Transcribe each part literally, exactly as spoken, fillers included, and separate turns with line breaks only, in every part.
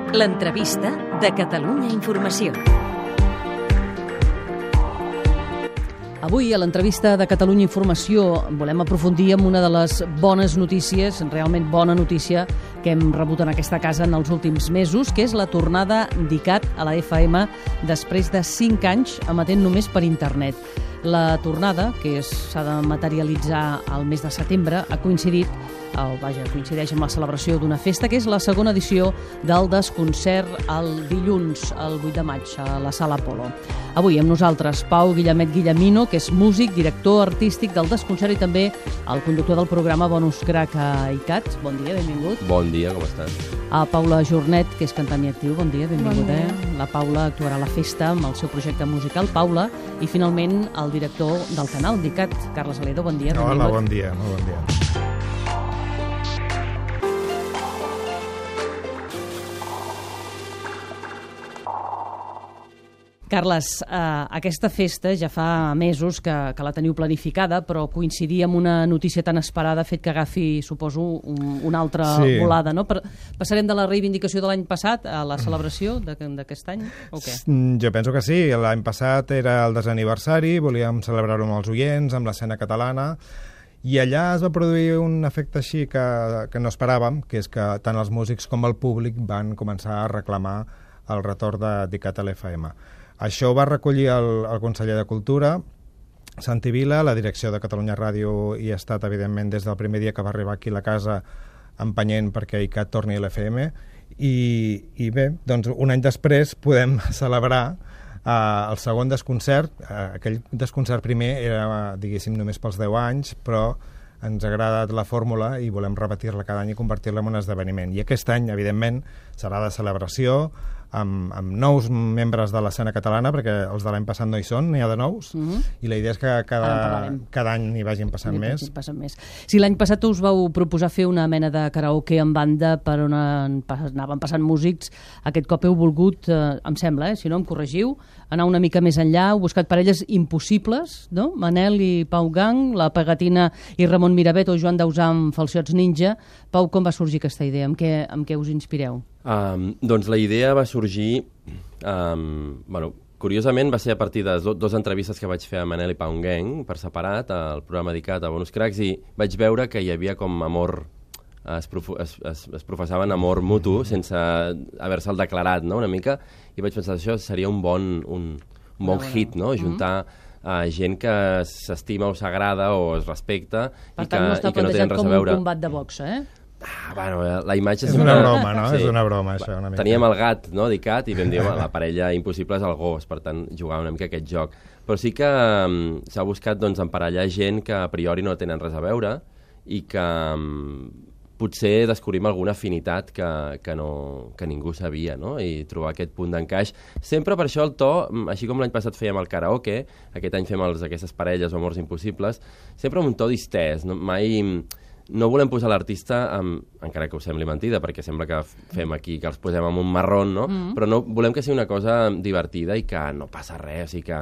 L'entrevista de Catalunya Informació.
Avui, a l'entrevista de Catalunya Informació, volem aprofundir en una de les bones notícies, realment bona notícia, que hem rebut en aquesta casa en els últims mesos, que és la tornada d'ICAT a la F M després de cinc anys emetent només per internet. La tornada, que s'ha de materialitzar al mes de setembre, ha coincidit, o vaja, coincideix amb la celebració d'una festa, que és la segona edició del Desconcert el dilluns, el vuit de maig, a la Sala Apolo. Avui amb nosaltres Pau Guillemet Guillemino, que és músic, director artístic del Desconcert i també el conductor del programa Bonus Crack a ICAT. Bon dia, benvingut.
Bon dia, com estàs?
A Paula Jornet, que és cantant i actiu. Bon dia, benvingut.
Bon dia.
Eh? La Paula actuarà a la festa amb el seu projecte musical, Paula, i finalment el director del canal d'ICAT, Carles Aledo. Bon dia, benvingut.
Hola, bon dia, molt bon dia.
Carles, eh, aquesta festa ja fa mesos que, que la teniu planificada, però coincidir amb una notícia tan esperada ha fet que agafi, suposo, un, una altra
sí.
volada, no? Per, passarem de la reivindicació de l'any passat a la celebració d'aquest any, o què?
Jo penso que sí. L'any passat era el desaniversari, volíem celebrar-ho amb els oients, amb l'escena catalana, i allà es va produir un efecte així que, que no esperàvem, que és que tant els músics com el públic van començar a reclamar el retorn de d'ICAT a l'F M. Això ho va recollir el, el conseller de Cultura, Santi Vila, la direcció de Catalunya Ràdio i ha estat, evidentment, des del primer dia que va arribar aquí a la casa empenyent perquè ICAT torni a l'F M. I, I bé, doncs un any després podem celebrar uh, el segon desconcert. Uh, aquell desconcert primer era, diguéssim, només pels deu anys, però ens ha agradat la fórmula i volem repetir-la cada any i convertir-la en un esdeveniment. I aquest any, evidentment, serà de celebració, amb, amb nous membres de l'escena catalana, perquè els de l'any passat no hi són, n'hi ha de nous, mm-hmm. i la idea és que cada, cada any n'hi vagin passant
N'hi
més.
passen més. Si l'any passat us vau proposar fer una mena de karaoke en banda per on anaven passant músics, aquest cop heu volgut, eh, em sembla, eh, si no em corregiu, anar una mica més enllà, heu buscat parelles impossibles, no? Manel i Pau Gang, la Pegatina i Ramon Miravet o Joan Dausà amb Falsiots Ninja. Pau, com va sorgir aquesta idea? Amb què, amb què us inspireu?
Um, doncs la idea va sorgir, um, bueno, curiosament va ser a partir de do, dues entrevistes que vaig fer a Manel i Pau Gang per separat al programa dedicat a Bonus Cracks, i vaig veure que hi havia com amor, es, prof, es, es, es professaven amor mutu sense haver-se'l declarat, no?, una mica, i vaig pensar que això seria un bon, un, un bon no, hit, no?, juntar uh, gent que s'estima o s'agrada o es respecta
per
i
tant,
que,
no està
i que no tenen res a veure.
Com un combat de boxa, eh?
Ah, bueno, la imatge
és
és
una,
una
broma, no?
Sí.
És una broma, això, una mica.
Teníem el gat, no?, d'ICAT, i vam dir, home, la parella impossible és el gos, per tant, jugar una mica aquest joc. Però sí que um, s'ha buscat, doncs, emparellar gent que a priori no tenen res a veure i que um, potser descobrim alguna afinitat que, que, no, que ningú sabia, no?, i trobar aquest punt d'encaix. Sempre per això el to, així com l'any passat fèiem el karaoke, aquest any fem els, aquestes parelles o amors impossibles, sempre amb un to distès, no? Mai... No volem posar l'artista, amb, encara que us sembli mentida, perquè sembla que fem aquí, que els posem amb un marrón, no? Mm-hmm. Però no volem que sigui una cosa divertida i que no passa res, o sigui que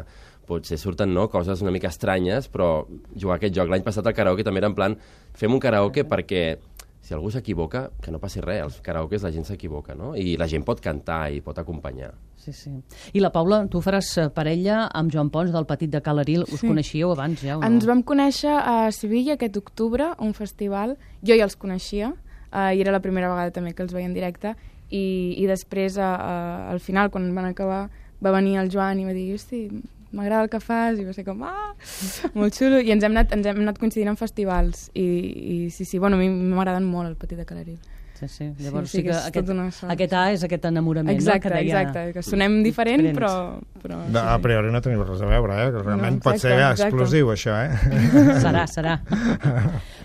potser surten, no?, coses una mica estranyes, però jugar aquest joc. L'any passat el karaoke també era en plan, fem un karaoke perquè si algú s'equivoca, que no passi res, els karaokes la gent s'equivoca, no?, i la gent pot cantar i pot acompanyar.
Sí, sí. I la Paula, tu faràs parella amb Joan Pons del Petit de Calaril. Us sí. coneixíeu abans ja o no?
Ens vam conèixer a Sevilla aquest octubre, un festival. Jo ja els coneixia, uh, i era la primera vegada també que els veia en directe, i, i després, uh, uh, al final, quan van acabar, va venir el Joan i va dir, hosti, m'agrada el que fas, i va ser com, ah, molt xulo, i ens hem anat, ens hem anat coincidint en festivals, i, i sí, sí, bueno, a mi m'agraden molt el Petit de Calaril.
Sí, sí. Llavors sí,
sí,
sí que,
que
aquest, aquest A és aquest enamorament,
exacte,
no? Que deia...
Exacte, que sonem diferent,
diferents.
però... però
no, a priori no tenim res a veure, eh? Que realment no, exacte, pot ser
exacte.
explosiu, això, eh?
Serà, serà.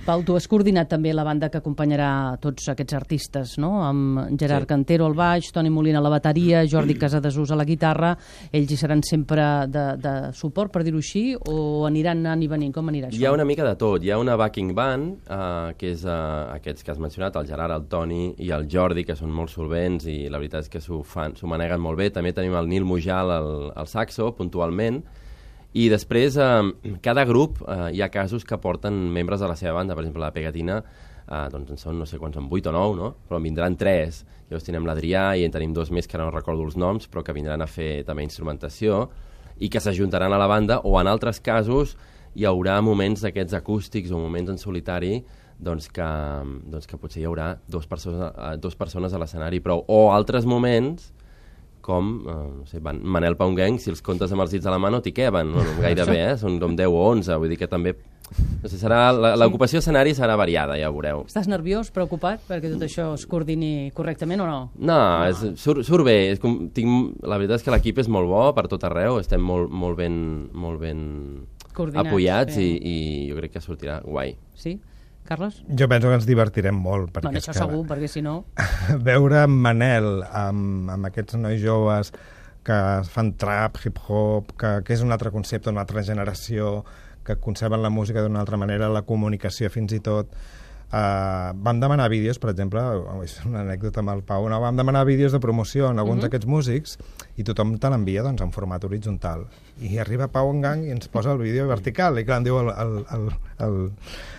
Pau, tu has coordinat també la banda que acompanyarà tots aquests artistes, no? Amb Gerard sí. Cantero al baix, Toni Molina a la bateria, Jordi Casadesús a la guitarra. Ells hi seran sempre de, de suport, per dir-ho així, o aniran anant i venint? Com anirà això?
Hi ha una mica de tot. Hi ha una backing band, uh, que és uh, aquests que has mencionat, el Gerard, el Toni i el Jordi, que són molt solvents i la veritat és que s'ho fan, s'ho maneguen molt bé. També tenim el Nil Mujal al, al saxo, puntualment, I després, eh, cada grup, eh, hi ha casos que porten membres de la seva banda. Per exemple, la Pegatina, eh, doncs en són no sé quants, són vuit o nou, no? Però en vindran tres. Llavors tenim l'Adrià i en tenim dos més que no recordo els noms, però que vindran a fer també instrumentació i que s'ajuntaran a la banda, o en altres casos hi haurà moments d'aquests acústics o moments en solitari doncs que, doncs que potser hi haurà dos persones, dos persones a l'escenari, però o altres moments com, eh, no sé, Manel Paunguenc, si els comptes amb els dits de la mà no t'hi queben, no, no gairebé, eh? Són com deu o onze, vull dir que també... No sé, serà, l'ocupació escenari serà variada, ja ho veureu.
Estàs nerviós, preocupat, perquè tot això es coordini correctament o no?
No, és, surt, surt bé. És com, tinc, la veritat és que l'equip és molt bo per tot arreu, estem molt, molt ben, molt ben apoyats i, i jo crec que sortirà guai.
Sí? Carles?
Jo penso que ens divertirem molt.
Bueno, això segur, perquè si no...
Veure Manel amb, amb aquests nois joves que fan trap, hip-hop, que, que és un altre concepte, una altra generació, que conceben la música d'una altra manera, la comunicació fins i tot. Uh, vam demanar vídeos, per exemple, és una anècdota amb el Pau, no? Vam demanar vídeos de promoció en alguns uh-huh. d'aquests músics i tothom te l'envia doncs, en format horitzontal. I arriba Pau Engang i ens posa el vídeo vertical. I clar, em diu el, el, el, el,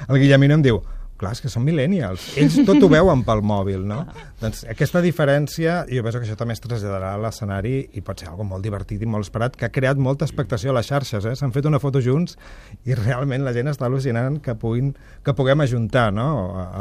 el Guillemino em diu, clar, és que són millennials. Ells tot ho veuen pel mòbil, no? Doncs aquesta diferència, jo penso que això també es traslladarà a l'escenari i pot ser algo molt divertit i molt esperat, que ha creat molta expectació a les xarxes, eh? S'han fet una foto junts i realment la gent està al·lucinant que, puguin, que puguem ajuntar, no?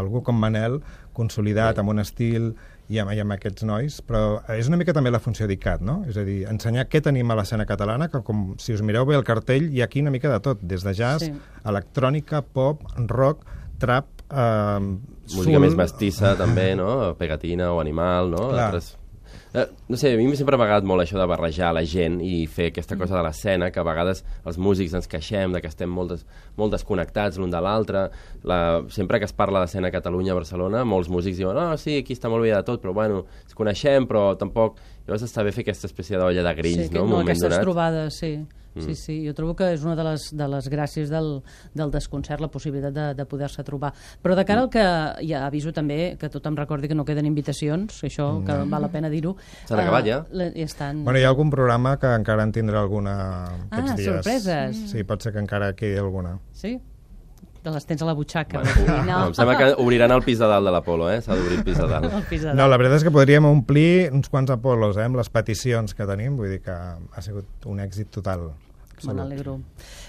Algú com Manel, consolidat, amb un estil i amb, i amb aquests nois, però és una mica també la funció d'I C A T, no? És a dir, ensenyar què tenim a l'escena catalana, que com si us mireu bé el cartell, hi ha aquí una mica de tot, des de jazz, sí. electrònica, pop, rock, trap, Uh,
música
sul...
més mestissa també, no? Pegatina o Animal, no? Altres... eh, no sé, a mi sempre m'ha agradat molt això de barrejar la gent i fer aquesta cosa de l'escena, que a vegades els músics ens queixem de que estem molt, des, molt desconnectats l'un de l'altre. La... sempre que es parla d'escena a Catalunya, a Barcelona, molts músics diuen, oh, sí, aquí està molt bé de tot, però bueno, ens coneixem, però tampoc... Llavors està bé fer aquesta espècie d'olla de grills,
sí,
no?
no,
un
aquestes
donat.
trobades, sí. Mm. Sí, sí, jo trobo que és una de les, de les gràcies del, del desconcert, la possibilitat de, de poder-se trobar. Però de cara al que, ja aviso també, que tothom recordi que no queden invitacions, això mm. que val la pena dir-ho.
S'han acabat ja?
Uh, ja estan...
Bueno, hi ha algun programa que encara en tindrà alguna aquests
ah,
dies.
sorpreses.
Sí, pot ser que encara quedi alguna.
Sí? Te les tens a la butxaca.
Bueno, no. Em sembla que obriran el pis de dalt de l'Apolo, eh? S'ha d'obrir el pis de dalt.
pis de dalt.
No, la veritat és que podríem omplir uns quants Apolos, eh? Amb les peticions que tenim, vull dir que ha sigut un èxit total.
Me n'alegro.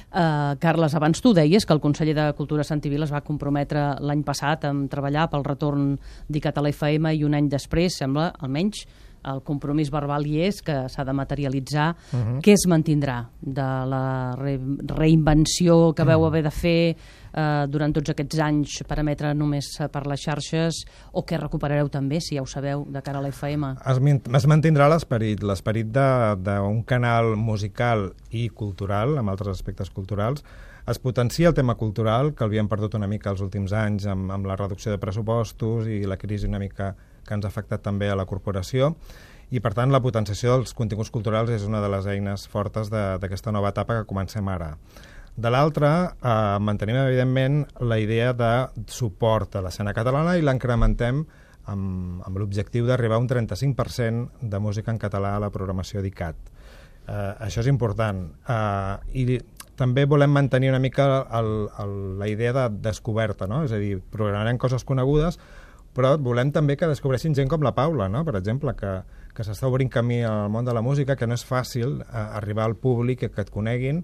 Uh, Carles, abans tu deies que el conseller de Cultura Santi Vila es va comprometre l'any passat a treballar pel retorn d'I C A T a la F M i un any després, sembla, almenys, el compromís verbal hi és, que s'ha de materialitzar. Uh-huh. Què es mantindrà de la re reinvenció que veu haver de fer eh, durant tots aquests anys per emetre només per les xarxes, o què recuperareu també, si ja ho sabeu, de cara a la F M?
Es, es mantindrà l'esperit, l'esperit d'un canal musical i cultural, amb altres aspectes culturals. Es potencia el tema cultural, que l'havíem perdut una mica els últims anys amb, amb la reducció de pressupostos i la crisi una mica que ens ha afectat també a la corporació, i per tant la potenciació dels continguts culturals és una de les eines fortes d'aquesta nova etapa que comencem ara. De l'altra, eh, mantenim evidentment la idea de suport a l'escena catalana i l'incrementem amb, amb l'objectiu d'arribar a un trenta-cinc per cent de música en català a la programació d'I C A T. Eh, això és important. Eh, I també volem mantenir una mica el, el, la idea de descoberta, no? És a dir, programarem coses conegudes, però volem també que descobreixin gent com la Paula, no? Per exemple, que, que s'està obrint camí al món de la música, que no és fàcil eh, arribar al públic, que, que et coneguin,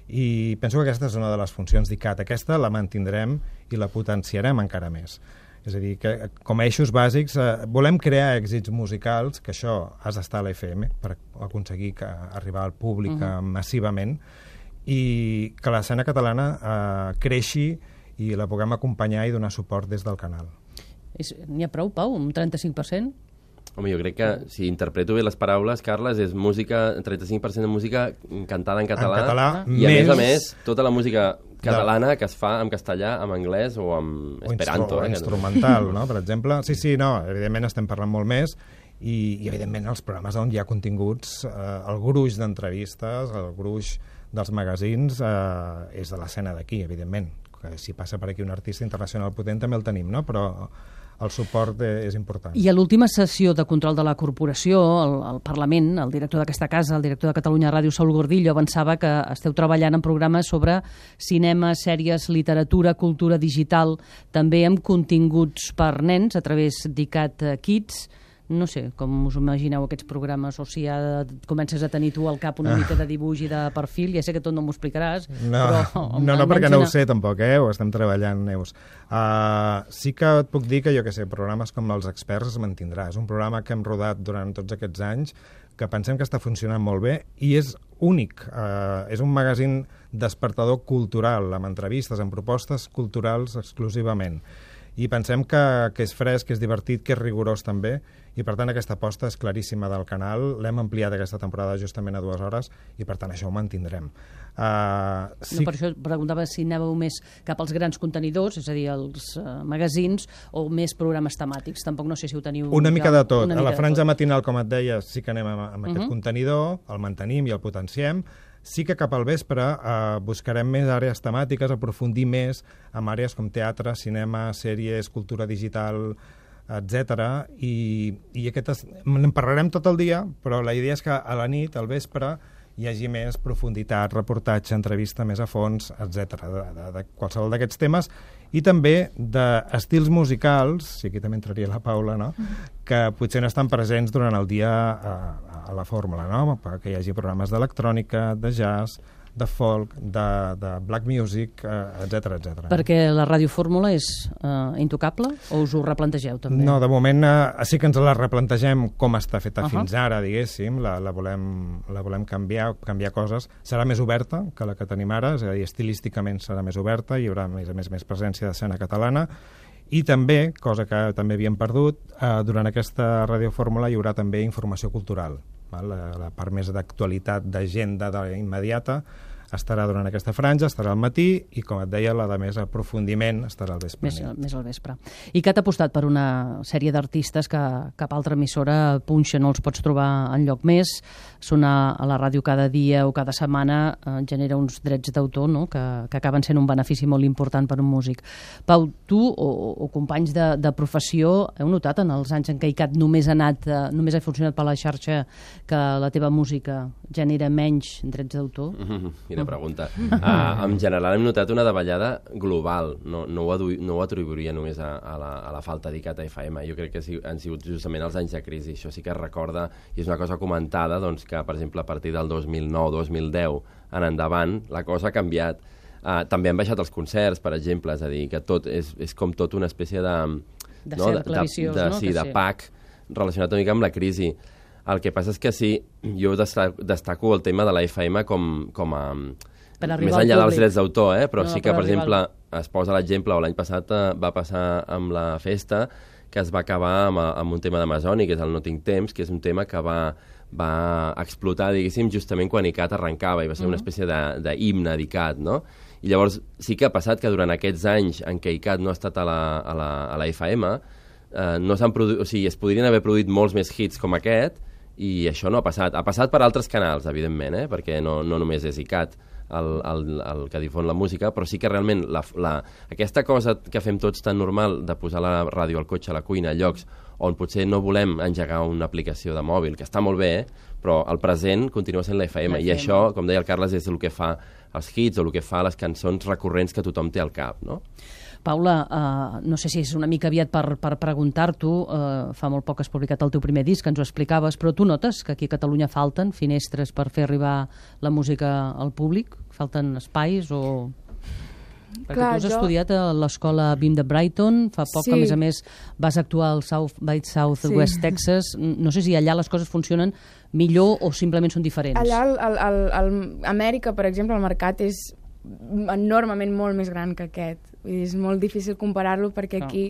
i penso que aquesta és una de les funcions d'I C A T. Aquesta la mantindrem i la potenciarem encara més. És a dir, que com a eixos bàsics eh, volem crear èxits musicals, que això has d'estar a la F M per aconseguir que, arribar al públic uh-huh. massivament, i que l'escena catalana eh, creixi i la puguem acompanyar i donar suport des del canal.
N'hi ha prou, Pau? Un trenta-cinc per cent?
Home, jo crec que, si interpreto bé les paraules, Carles, és música, trenta-cinc per cent de música cantada en català,
en català
i a més, més a més, tota la música catalana de... que es fa en castellà, en anglès o en esperanto.
O
eh,
instrumental, no?, per exemple. Sí, sí, no, evidentment estem parlant molt més, i, i evidentment els programes on hi ha continguts, eh, el gruix d'entrevistes, el gruix dels magazins, eh, és de l'escena d'aquí, evidentment, que si passa per aquí un artista internacional potent també el tenim, no? Però el suport és important.
I a l'última sessió de control de la corporació, el, el Parlament, el director d'aquesta casa, el director de Catalunya Ràdio, Saúl Gordillo, avançava que esteu treballant en programes sobre cinema, sèries, literatura, cultura digital, també amb continguts per nens a través d'ICAT Kids. No sé com us imagineu aquests programes, o si ja comences a tenir tu al cap una mica de dibuix i de perfil. Ja sé que tot no m'ho explicaràs.
No,
però,
no, no perquè no ho sé tampoc, eh? Ho estem treballant, Neus. Uh, sí que et puc dir que, jo què sé, programes com Els Experts es mantindrà. És un programa que hem rodat durant tots aquests anys, que pensem que està funcionant molt bé i és únic. Uh, és un magazín despertador cultural, amb entrevistes, amb propostes culturals exclusivament. I pensem que, que és fresc, que és divertit, que és rigorós també, i per tant aquesta aposta és claríssima del canal. L'hem ampliat aquesta temporada justament a dues hores i per tant això ho mantindrem. Uh, sí...
No, per això preguntava si anàveu més cap als grans contenidors, és a dir, els uh, magazins, o més programes temàtics. Tampoc no sé si ho teniu...
Una mica
ja,
de tot. A la franja matinal, com et deia, sí que anem amb, amb uh-huh. aquest contenidor, el mantenim i el potenciem. Sí que cap al vespre eh, buscarem més àrees temàtiques, aprofundir més en àrees com teatre, cinema, sèries, cultura digital, etcètera. I, i aquest, en parlarem tot el dia, però la idea és que a la nit, al vespre, hi hagi més profunditat, reportatge, entrevista més a fons, etcètera, de, de, de qualsevol d'aquests temes, i també d'estils musicals, i aquí també entraria la Paula, no? Que potser no estan presents durant el dia a, a la fórmula, no? Que hi hagi programes d'electrònica, de jazz, de folk, de, de black music, etcètera, etcètera.
Perquè la radiofórmula és uh, intocable o us ho replantegeu també?
No, de moment uh, sí que ens la replantegem com està feta uh-huh. fins ara, diguéssim, la, la, volem, la volem canviar, canviar coses. Serà més oberta que la que tenim ara, és a dir, estilísticament serà més oberta, hi haurà més a més, més presència d'escena catalana, i també, cosa que també havíem perdut, uh, durant aquesta radiofórmula hi haurà també informació cultural. Val? La, la part més d'actualitat, d'agenda immediata, estarà durant aquesta franja, estarà al matí i, com et deia, la de més aprofundiment estarà al vespre.
Més, més al vespre. I que t'ha apostat per una sèrie d'artistes que cap altra emissora punxa, no els pots trobar enlloc més. Sonar a la ràdio cada dia o cada setmana eh, genera uns drets d'autor, no? que, que acaben sent un benefici molt important per un músic. Pau, tu o, o companys de, de professió heu notat en els anys en què ICAT només ha anat, eh, només ha funcionat per la xarxa, que la teva música genera menys drets d'autor?
Mm-hmm. Quina pregunta. Uh, en general hem notat una davallada global. No, no, ho, adu- no ho atribuiria només a, a, la, a la falta d'ICAT a F M. Jo crec que si, han sigut justament els anys de crisi. Això sí que es recorda, i és una cosa comentada, doncs, que, per exemple, a partir del dos mil nou dos mil deu en endavant, la cosa ha canviat. Uh, també han baixat els concerts, per exemple, és a dir, que tot és, és com tot una espècie de...
De
no?
cercle viciós, no?
Sí, de
sí.
pack relacionat una mica amb la crisi. El que passa és que sí, jo destaco el tema de la F M com, com a... més enllà dels drets d'autor, eh? Però no, sí que, per, per exemple, al... es posa l'exemple, o l'any passat eh, va passar amb la festa, que es va acabar amb, amb un tema d'Amazònia, que és el No tinc temps, que és un tema que va, va explotar, diguéssim, justament quan ICAT arrencava, i va ser uh-huh. una espècie d'himne d'ICAT, no? I llavors sí que ha passat que durant aquests anys en què ICAT no ha estat a la, a la, a la F M, eh, no s'han produït, o sigui, es podrien haver produït molts més hits com aquest, i això no ha passat. Ha passat per altres canals, evidentment, eh? Perquè no, no només és ICAT el, el, el que difon la música, però sí que realment la, la, aquesta cosa que fem tots tan normal de posar la ràdio al cotxe, a la cuina, a llocs on potser no volem engegar una aplicació de mòbil, que està molt bé, eh? Però el present continua sent la F M, i això, com deia el Carles, és el que fa els hits o el que fa les cançons recurrents que tothom té al cap, no?
Paula, uh, no sé si és una mica aviat per, per preguntar-t'ho, uh, fa molt poc has publicat el teu primer disc, que ens ho explicaves, però tu notes que aquí a Catalunya falten finestres per fer arribar la música al públic? Falten espais o... Perquè Clar, tu has jo... estudiat a l'escola B I M de Brighton, fa poc sí. que, a més a més, vas actuar al South by Southwest sí. Texas. No sé si allà les coses funcionen millor o simplement són diferents.
Allà, al, al, al, al Amèrica, per exemple, el mercat és enormement molt més gran que aquest. Vull dir, és molt difícil comparar-lo perquè no. aquí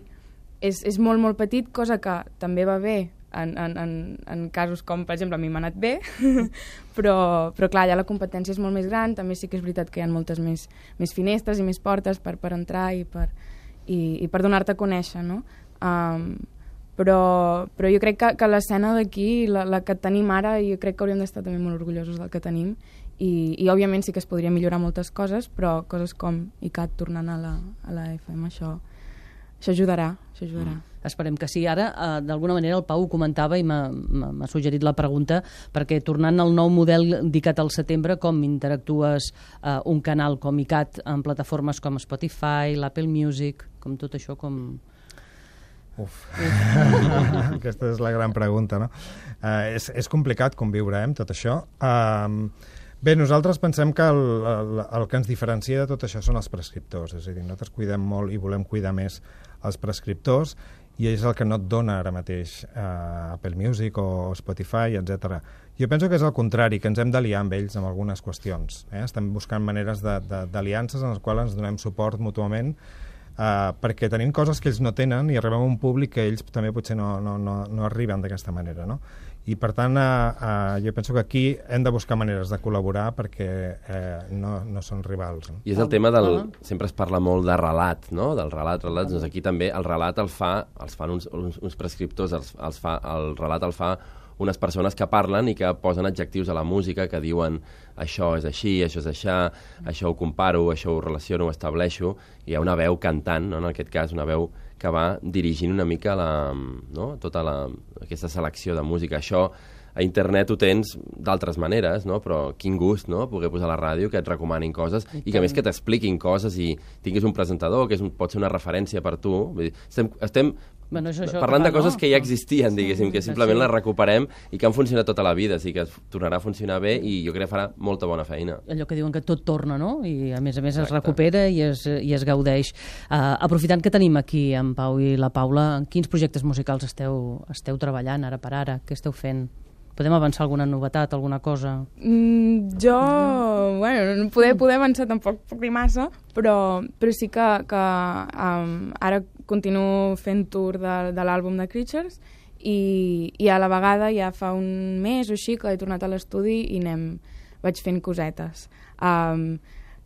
és, és molt, molt petit, cosa que també va bé en, en, en, en casos com, per exemple, a mi m'ha anat bé, però, però clar, allà la competència és molt més gran, també sí que és veritat que hi ha moltes més, més finestres i més portes per, per entrar i per, i, i per donar-te a conèixer, no? Um, però, però jo crec que, que l'escena d'aquí, la, la que tenim ara, jo crec que hauríem d'estar també molt orgullosos del que tenim, i, i òbviament sí que es podria millorar moltes coses, però coses com I C A T tornant a la, a la F M, això, això ajudarà, això ajudarà. Mm.
Esperem que sí. Ara, eh, d'alguna manera, el Pau ho comentava i m'ha suggerit la pregunta, perquè tornant al nou model d'I C A T al setembre, com interactues eh, un canal com I C A T en plataformes com Spotify, l'Apple Music, com tot això, com...
Uf, aquesta és la gran pregunta, no? Uh, és, és complicat conviure eh, amb tot això. Uh, bé, nosaltres pensem que el, el, el que ens diferencia de tot això són els prescriptors, és a dir, nosaltres cuidem molt i volem cuidar més els prescriptors, i és el que no et dona ara mateix uh, Apple Music o Spotify, etcètera. Jo penso que és el contrari, que ens hem d'aliar amb ells en algunes qüestions. Eh? Estem buscant maneres d'aliances en les quals ens donem suport mútuament, uh, perquè tenim coses que ells no tenen i arribem a un públic que ells també potser no, no, no, no arriben d'aquesta manera, no? I per tant, uh, uh, jo penso que aquí hem de buscar maneres de col·laborar perquè uh, no, no són rivals. No?
I és el tema del... Sempre es parla molt de relat, no? Del relat, relats. Doncs aquí també el relat el fa, els fan uns, uns, uns prescriptors, els, els fa, el relat el fa unes persones que parlen i que posen adjectius a la música, que diuen això és així, això és això, això ho comparo, això ho relaciono, ho estableixo, i hi ha una veu cantant, no? En aquest cas, una veu que va dirigint una mica la, no? tota la, aquesta selecció de música. Això a internet ho tens d'altres maneres, no? Però quin gust, no? Poder posar a la ràdio, que et recomanin coses i que a més que t'expliquin coses i tinguis un presentador que és un, pot ser una referència per tu. Vull dir, estem, estem
bueno, això, això
parlant de
fa,
coses
no?
que ja existien, diguéssim, que simplement
sí.
les recuperem i que han funcionat tota la vida, així que tornarà a funcionar bé i jo crec que farà molta bona feina.
Allò que diuen que tot torna, no? I a més a més
Exacte.
es recupera i es, i es gaudeix. Uh, aprofitant que tenim aquí en Pau i la Paula, en quins projectes musicals esteu, esteu treballant ara per ara? Què esteu fent? Podem avançar alguna novetat, alguna cosa?
Mm, jo, no. bueno, no poder, poder avançar tampoc puc dir massa, però, però sí que, que um, ara continuo fent tour de, de l'àlbum de Creatures i, i a la vegada ja fa un mes o així que he tornat a l'estudi i anem, vaig fent cosetes. Um,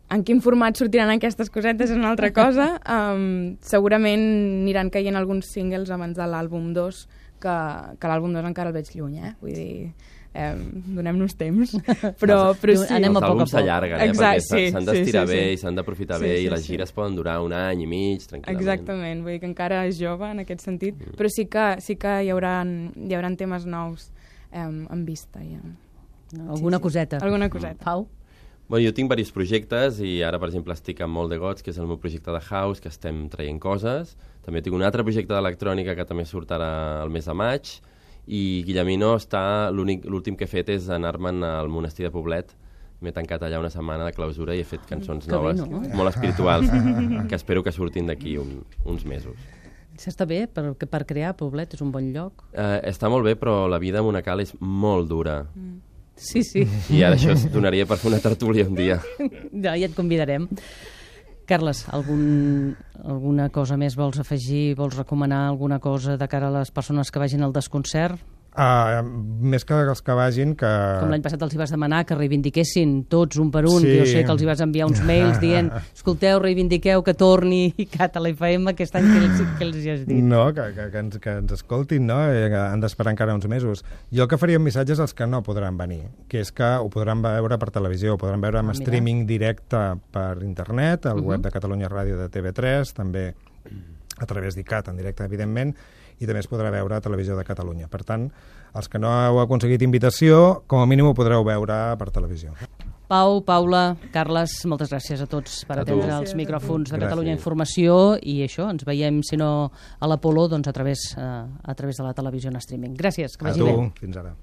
en quin format sortiran aquestes cosetes és una altra cosa. Um, segurament aniran caient alguns singles abans de l'àlbum dos, que, que l'àlbum dos encara el veig lluny, eh? Vull dir, eh, donem-nos temps, però, però sí.
Anem a
els
poc a
àlbums
poc.
s'allarguen, eh?
Exacte,
Perquè s'han
sí,
d'estirar
sí,
bé
sí, sí.
i s'han d'aprofitar
Sí,
bé
sí,
i les
sí.
gires poden durar un any i mig, tranquil·lament.
Exactament, vull dir que encara és jove en aquest sentit, mm. però sí que, sí que hi haurà, hi haurà temes nous eh, en vista. Ja.
Alguna
sí, sí.
coseta.
Alguna coseta.
Pau?
Bueno, jo tinc diversos projectes i ara, per exemple, estic amb Molt de Gots, que és el meu projecte de house, que estem traient coses. També tinc un altre projecte d'electrònica que també sortirà el mes de maig. I Guillemino està, l'últim que he fet és anar-me'n al monestir de Poblet. M'he tancat allà una setmana de clausura i he fet cançons
que
noves,
bé, no?
molt espirituals, que espero que surtin d'aquí un, uns mesos.
Està bé per, per crear Poblet, és un bon lloc.
Eh, està molt bé, però la vida a Monacal és molt dura.
Mm. Sí, sí.
I ara això es donaria per fer una tertúlia un dia.
Ja, ja et convidarem. Carles, algun, alguna cosa més vols afegir? Vols recomanar alguna cosa de cara a les persones que vagin al desconcert?
Uh, més que els que vagin que...
Com l'any passat els hi vas demanar que reivindiquessin tots un per un,
Sí.
que jo sé que els hi vas enviar uns mails dient escolteu, reivindiqueu que torni I C A T a la F M aquest any que els, que els hi has dit.
No, que, que, que, ens, que ens escoltin, no? Eh, que han d'esperar encara uns mesos. Jo el que faria un missatge és als que no podran venir, que és que ho podran veure per televisió, ho podran veure amb
Ah, mira.
streaming directe per internet, al
Uh-huh.
web de Catalunya Ràdio de T V tres, també a través d'I C A T en directe, evidentment, i també es podrà veure a Televisió de Catalunya. Per tant, els que no heu aconseguit invitació, com a mínim ho podreu veure per televisió.
Pau, Paula, Carles, moltes gràcies a tots per
A tu.
atendre els micròfons de
Gràcies.
Catalunya Informació i això, ens veiem, si no a l'Apolo, doncs a través, eh, a través de la televisió en streaming. Gràcies, que
A
vagi
tu,
bé.
fins ara.